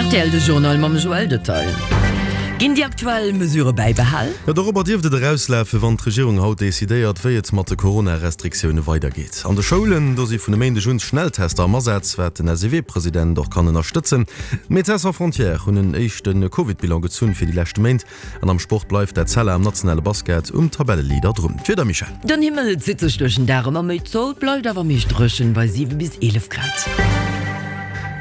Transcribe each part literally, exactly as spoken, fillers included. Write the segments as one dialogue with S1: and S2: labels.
S1: Rtl, De Journal mam Joël Detail. Ginn déi aktuell Mesurë bäibehal?
S2: Jo, dorobber dierft et erauslafen, wann d'Regierung haut decidéiert, wéi et mat de Corona-Restriktioune weidergeet. An de Schoulen, do si vun e Méindeg un Schnelltester am Asaz, wat den S E W-President och kann ënnerstëtzen. D'Médecins Sans Frontières hunn en éischte Covid-Bilan gezunn fir déi leschte Méint. An am Sport bleift d'Etzella am nationale Basket um Tabelleleader drun. D'Wieder, Michèle?
S1: Den Himmel zitt sech duerch den Dag ëmmer méi zou, et bleift awer meescht dréchen bei siwe bis eelef Grad.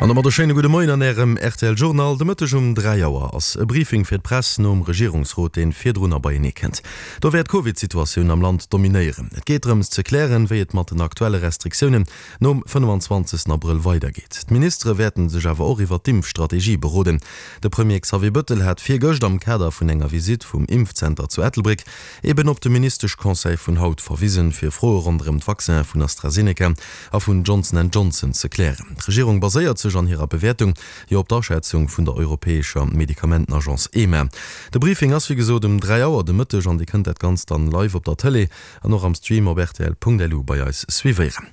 S2: An domat e schéine gudde Moien an Ärem R T L Journal. De Mëtteg um dräi Auer ass e Briefing fir d'Press nom Regierungsrot, deen virdrunner beienee kënnt. Do wäert d'Covid-Situatioun am Land dominéieren. Et geet drëms ze klären, wéi et mat den aktuelle Restriktiounen nom fënnefenzwanzegsten Abrëll weidergeet. D'Ministere wäerten sech awer och iwwer d'Impfstrategie beroden. De Premier Xavier Bëttel hat virgëscht am Kader vun enger Visitt vum Impfzenter zu Ettelbréck eben op de Ministeschconseil vun haut verwisen, fir Froe ronderëm d'Vaccinen vun AstraZeneca a vun Johnson and Johnson ze klären. D'Regierung baséiert sech an hirer Bewäertung jo op d'Aschätzung vun der europäescher Medikamentenagence EMA. De Briefing ass wéi gesot um dräi Auer de Mëtteg an Dir kënnt dat Ganzt dann live op der Tëlee an och am Stream op rtl Punkt L U bei eis suivéieren.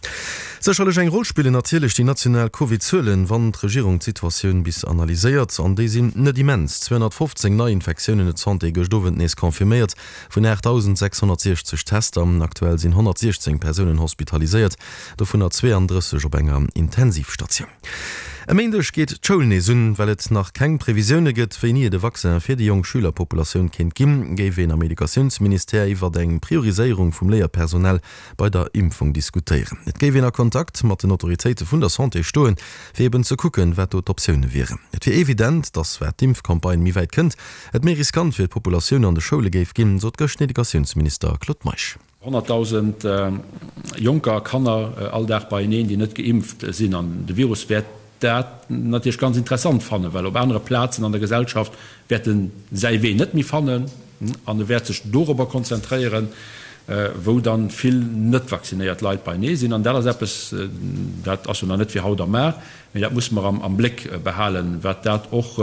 S2: Sécherlech eng Roll spillen natierlech déi national Covid-Zuelen, wann d'Regierung d'Situatioun bis analyséiert. An déi sinn net immens, zweehonnertfofzéng Neiinfektiounen huet d'Santé gëscht Owend nees confirméiert, vun aachtdausendsechshonnertsiechzeg Tester. Aktuell sinn honnertsiechzéng Persounen hospitaliséiert, dovunner zweeandrësseg op enger Intensivstatioun. E Méindeg geet d'Schoul nees un. Well et nach keng Previsioune gëtt, wéini et e Vaccin fir déi jonk Schülerpopulatioun kéint ginn, géif een am Educatiounsministère iwwert eng Prioriséierung vum Léierpersonal bei der Impfung diskutéieren. Et géif een a Kontakt mat den Autoritéite vun der Santé stoen, fir eben ze kucken, wat do d'Optioune wieren. Et wier evident, datt wat d'Impfcampagne méi wäit kënnt, et méi riskant fir d'Populatioun an de Schoule géif ginn, sot gëscht den Educatiounsminister Claude Meisch.
S3: Honnertdausend Jonker, Kanner all Dag beieneen, déi net geimpft sinn. An de Virus wäert dat natierlech ganz interessant fannen, well op anere Plazen an der Gesellschaft wäert en säi Wee net méi fannen an e wäert sech dorobber konzentréieren, wou dann vill net vaccinéiert Leit beienee sinn. An dat ass eppes, dat ass jo nach net fir haut a mar, mee dat musse mer am Bléck behalen, wat dat och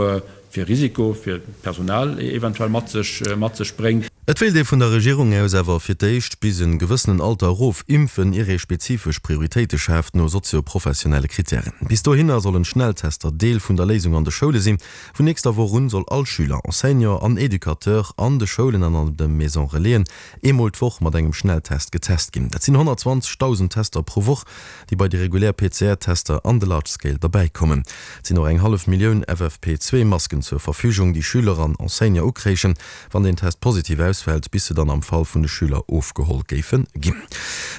S3: fir Risiko fir d'Personal eventuell mat sech mat sech bréngt.
S2: Et wéilt ee vun der Regierung aus awer fir d'éischt bis en gewëssenen Alter erof impfen, ier ee spezifesch Prioritéite schaaft no sozio-professionelle Krittären. Bis dohinner sollen Schnelltester Deel vun der Léisung an de Schoule sinn. Vun nächster Woch un soll all Schüler, Enseignant an Educateur an de Schoulen an an de Maison Relaisen eemol d'Woch mat engem Schnelltest getest ginn. Dat sinn honnertzwanzegdausend Tester pro Woch, déi bei déi regulär P C R-Tester an de Large Scale derbäi kommen. Et sinn och eng hallef Millioun F F P zwee Masken zur Verfügung, déi Schüler an Enseignant ukréichen, wann den Test positiv ausfält, bis se dann am Fall vun de Schüler ofgeholl géife ginn.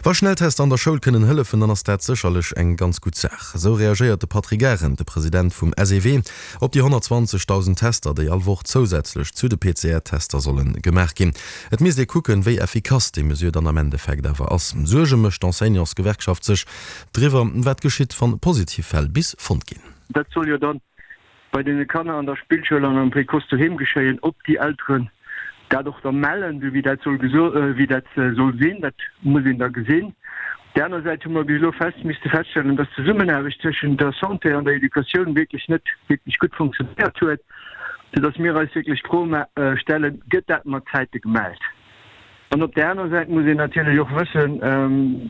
S2: Wa Schnelltester an der Schoul kënnen hëllefen, dann ass dat sécherlech eng ganz gutt Saach. Esou reagéiert de Patrick Arendt, de President vum S E W, op déi honnertzwanzegdausend Tester, déi all Woch zousätzlech zu de P C R-Tester solle gemaach ginn. Et misst ee kucken, wéi effikass déi Mesure dann am Endeffekt awer ass. Suerge mécht d'Enseignantsgewerkschaft sech driwwer, wat geschitt, wann positiv Fäll bis fonnt ginn.
S4: Dat soll jo dann bei deene Kanner an der Spillschoul an am Précoce doheem geschéien, ob déi Elteren dat och da mellen, sou wéi dat soll geso wéi dat soll sinn, dat muss een da gesinn. Op där aner Säit hu mer bis elo fest misste feststellen, dass d'Zesummenaarbecht tëschent der Santé an der Educatioun wierklech net wierklech gutt funktionéiert huet, soudass mir eis wierklech d'Fro stellen, Gëtt dat mat Zäite gemellt? An op där aner Säit muss een natierlech och wëssen,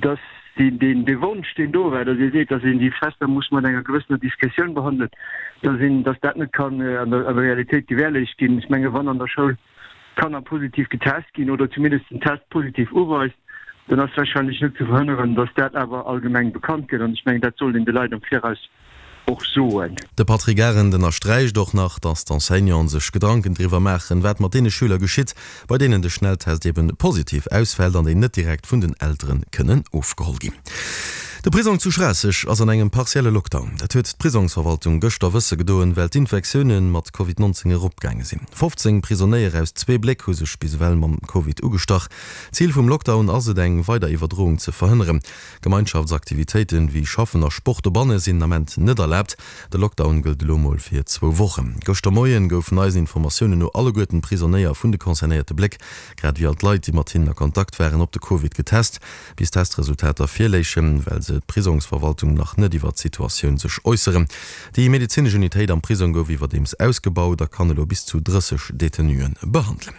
S4: dass deen dee Wonsch, deen do war, dass ee seet, dass een déi Tester muss mat enger gewëssener Diskretioun behandelen, dass een, dass dat net kann an der Realitéit gewährleescht ginn. Ech menge wann an der Schoul Kanner positiv getest ginn oder zumindest den Test positiv uweist, dann ass wahrscheinlech net ze verhënneren, dass dat awer allgemeng bekannt gëtt. An ech mengen, dat sollt een de Leit am Viraus och soen.
S2: De Patrick Arendt ënnersträicht och nach, datt d'Enseignanten sech Gedanken driwwer maachen, wat mat deene Schüler geschitt, bei deenen de Schnelltest eben positiv ausfält an déi net direkt vun den Eltere kënnen ofgeholl ginn. De Prisong zu Schraasseg ass an engem partielle Lockdown. Dat huet d'Prisongsverwaltung gëschter wësse gedoen, well d'Infektioune mat Covid nonzéng eropgaange sinn. fofzéng Prisonéier aus zwee Bléck hu sech bis ewell mam Covid ugestach. Zil vum Lockdown ass et, eng weider Iwwerdroung ze verhënneren. Gemeinschaftsaktivitéiten wéi Schaffen a Sport dobanne sinn den Ament net erlaabt. De Lockdown gëllt elo mol fir zwou Wochen. Gëschter Moien goufen eisen Informatiounen no alleguerten d'Prisonéier vun de concernéierte Bléck, grad ewéi all d'Leit, déi mat hinnen a Kontakt waren, op de Covid getest. Bis d'Testresultater virléichen, well se d'Prisongsverwaltung nach net iwwer d'Situatioun sech äusseren. Déi medezinesch Unitéit am Prisong gouf iwwerdeems ausgebaut a kann elo bis zu drësseg Detenuen behandelen.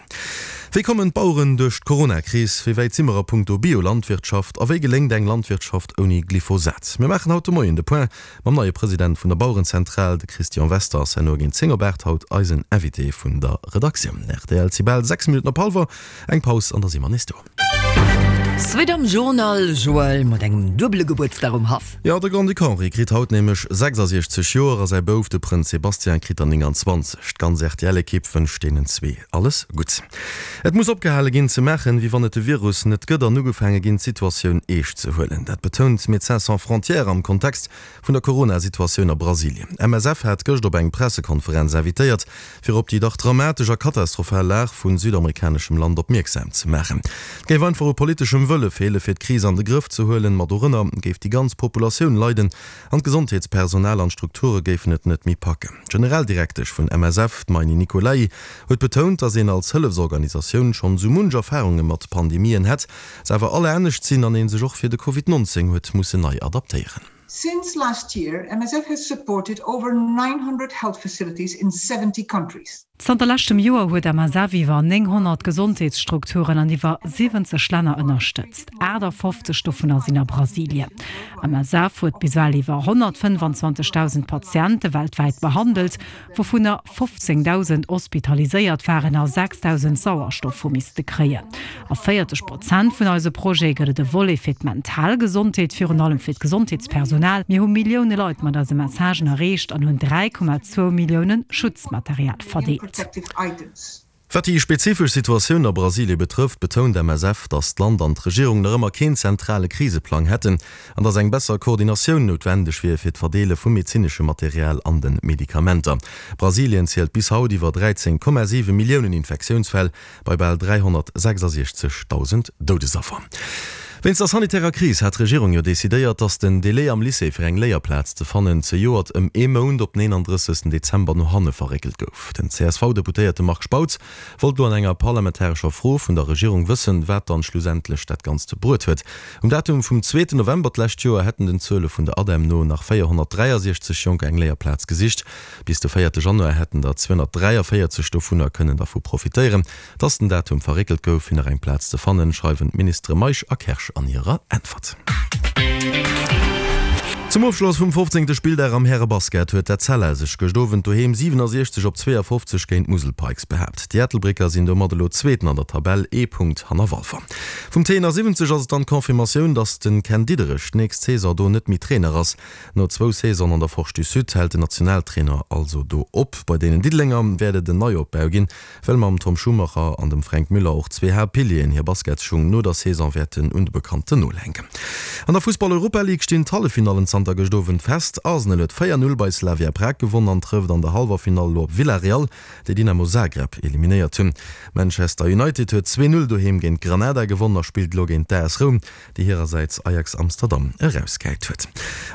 S2: Wéi kommen d'Baueren duerch d'Corona-Kris? Wéi wäit si mer a punkto Biolandwirtschaft? A wéi geléngt eng Landwirtschaft ouni Glyphosat? Mir maachen haut de Moien de Point mam neie President vun der Bauerenzentral. De Christian Wester ass herno géint zéng op aacht haut eisen Invité vun der Redaktioun. Rtl, Et si bal sechs Minutten op hallwer. Eng Paus an da si mer nees do.
S1: Suite am Journal, Joël, mat engem duebele Gebuertsdag um Haff.
S2: Jo, de Grand-Duc Henri kritt haut nämlech sechsasiechzeg Joer a säi Bouf, de Prënz Sébastien, kritt der nénganzwanzeg. D'ganz R T L-Ekipp wënscht deenen zwee alles Gutts. Et muss opgehale ginn ze maachen, wéi wann et de Virus net gëtt an ugefaange ginn, d'Situatioun eescht ze huelen. Dat betount Médecins Sans Frontières am Kontext vun der Corona-Situatioun a Brasilien. M S F hat gëscht op eng Pressekonferenz invitéiert, fir op déi dach dramatesch a katastrophal Lag vun südamerikaneschem Land opmierksam ze maachen. Et géif einfach u politeschem Wëlle feele fir d'Kris an de Grëff ze huelen, ma dorënner géif déi ganz Populatioun leiden an d'Gesondheetspersonal an d'Strukture géifen et net méi packen. D'Generaldirektesch vun M S F, d'Maini Nicolaï, huet betount, datt een als Hëllefsorganisatioun schonn sou munch Erfarunge mat Pandemien hätt, se awer all anescht sinn an ee sech och fir de Covid nonzéng huet mussen nei adaptéieren.
S5: Since last year, M S F has supported over nine hundred health facilities in seventy countries.
S6: Zanter leschtem Joer huet M S F iwwer nénghonnert Gesondheetsstrukturen an iwwer siwwenzeg Länner ënnerstëtzt. achtafofzeg dovunner sinn a Brasilien. M S F huet bis ewell iwwer honnertfënnfanzwanzegdausend Patiente weltwäit behandelt, wouvunner fofzéngdausend hospitaliséiert waren a sechsdausend Sauerstoff hu misste kréien. A véierzeg Prozent vun eise Projete gëtt et e Volet fir d'mental Gesondheet, virun allem fir d'Gesondheetspersonal. Mir hu Millioune Leit mat eise Messagen erreecht an hunn dräi Komma zwou Millioune Schutzmaterial verdeelt.
S2: Wat déi spezifesch Situatioun a Brasilie betrëfft, betount M S F, datt d'Land an d'Regierung nach ëmmer keen zentrale Kriseplang hätten an datt eng besser Koordinatioun noutwendeg wier fir d'Verdeele vum medezinesche Material an de Medikamenter. Brasilien zielt bis haut iwwer dräizéng Komma siwe Milliounen Infektiounsfäll bei bal dräihonnertsechsasiechzegdausend Doudesaffer. Wéinst der sanitärer Kris hat d'Regierung jo decidéiert, datt den Delai am Lycée fir eng Léierplaz ze fannen zejoert ëm ee Mount op den eenandrëssegsten Dezember no hanne verréckelt gouf. Den C S V-Deputéierte Marc Spautz wollt lo an enger parlamentarescher Fro vun der Regierung wëssen, wat dann schlussendlech dat Ganzt bruet huet. Um Datum vum zweeten November d'lescht Joer hätten den Zuele vun der ADEM no nach véierhonnertdräiasiechzeg Jonker eng Léierplaz gesicht. Bis de véierte Januar hätten der zweehonnertdräiavéierzeg dovunner kënnen dervu profitéieren, dass den Datum verréckelt gouf, fir nach eng Plaz ze fannen, schreiwen d'Ministere Meisch a Kersch an hirer Äntwert. Zum Ofschloss vum fofzéngte Spilldag am Härebasket huet d'Etzella sech gëscht Owend doheem siwenasiechzeg op zweeafofzeg géint d'Musel Pikes behaapt. Déi Ettelbrécker sinn domat elo Zweeten an der Tabell, ee Punkt hanner Walfer. Vum T siwwenzeg ass et dann d'Confirmatioun, datt de Ken Diederich d'nächst Saison do net méi Trainer ass. No zwou Saisonen an der Forge du Sud hält den Nationaltrainer also do op. Bei deenen Diddelenger wäert et en Neiopbau ginn, well mam Tom Schumacher an dem Fränk Müller och zwee Haaptpilieren hir Basketsschung no der Saison wäerten un de bekannten Nol hänken. An der Fussball-Europa-League stinn d'Halleffinallen zanter gëscht Owend fest. Arsenal huet véier Null bei Slavia Prag gewonn an trëfft an der Hallwerfinall elo op Villarreal, déi Dynamo Zagreb eliminéiert hunn. Manchester United huet zwee Null doheem géint Granada gewonn a spillt elo géint d'A S Roum, déi hirersäits Ajax Amsterdam erausgehäit huet.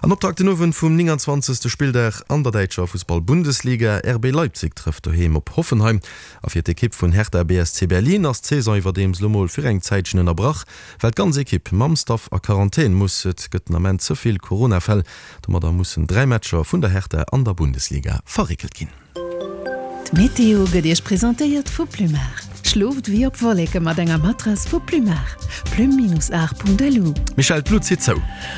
S2: An Optakt den Owend vum nénganzwanzegste Spilldag an der däitscher Fussball-Bundesliga, R B Leipzig trëfft doheem op Hoffenheim. A fir d'Ekipp vun Hertha B S C Berlin ass d'Saison iwwerdeems lo mol fir eng Zäitchen ënnerbrach, well d'ganz Ekipp mam Staff a Quarantän muss. Et gëtt den Ament ze vill Corona-Fäll. Domadder mussen dräi Matcher vun der Hertha an der Bundesliga verréckelt ginn.
S7: D'Meteo gëtt Iech presentéiert vu Plumar. Schlooft wéi op Wolleke mat enger Matrass vu Plumar. Plum-art.lu.
S2: Michèle, d'Lut zitt zou.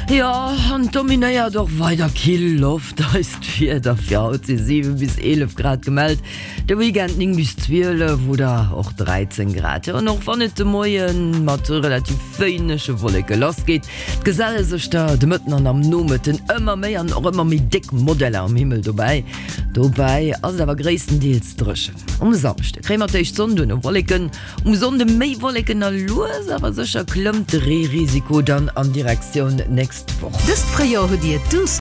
S1: Jo, an dominéiert och weider kill Loft eist Wieder. Fir haut si siwe bis eelef Grad gemellt, de Weekend néng bis zwielef oder och dräizéng Grad. Jo, an och wann et de Moie mat relativ wéinege Wolleke lassgeet, et geselle sech der de Mëtten an am Nomëtten ëmmer méi an och ëmmer méi déck Modeller am Himmel dobäi. Dobäi ass et awer gréisstendeels dréchen. Um Samschde kréie mer d'éischt Sonn, duerno Wolleken, um Sonnde méi Wolleken a lues awer sécher klëmmt de Reerisiko dann an Direktioun nächst Woch.
S7: Dëst Fréijoer hutt Dir douce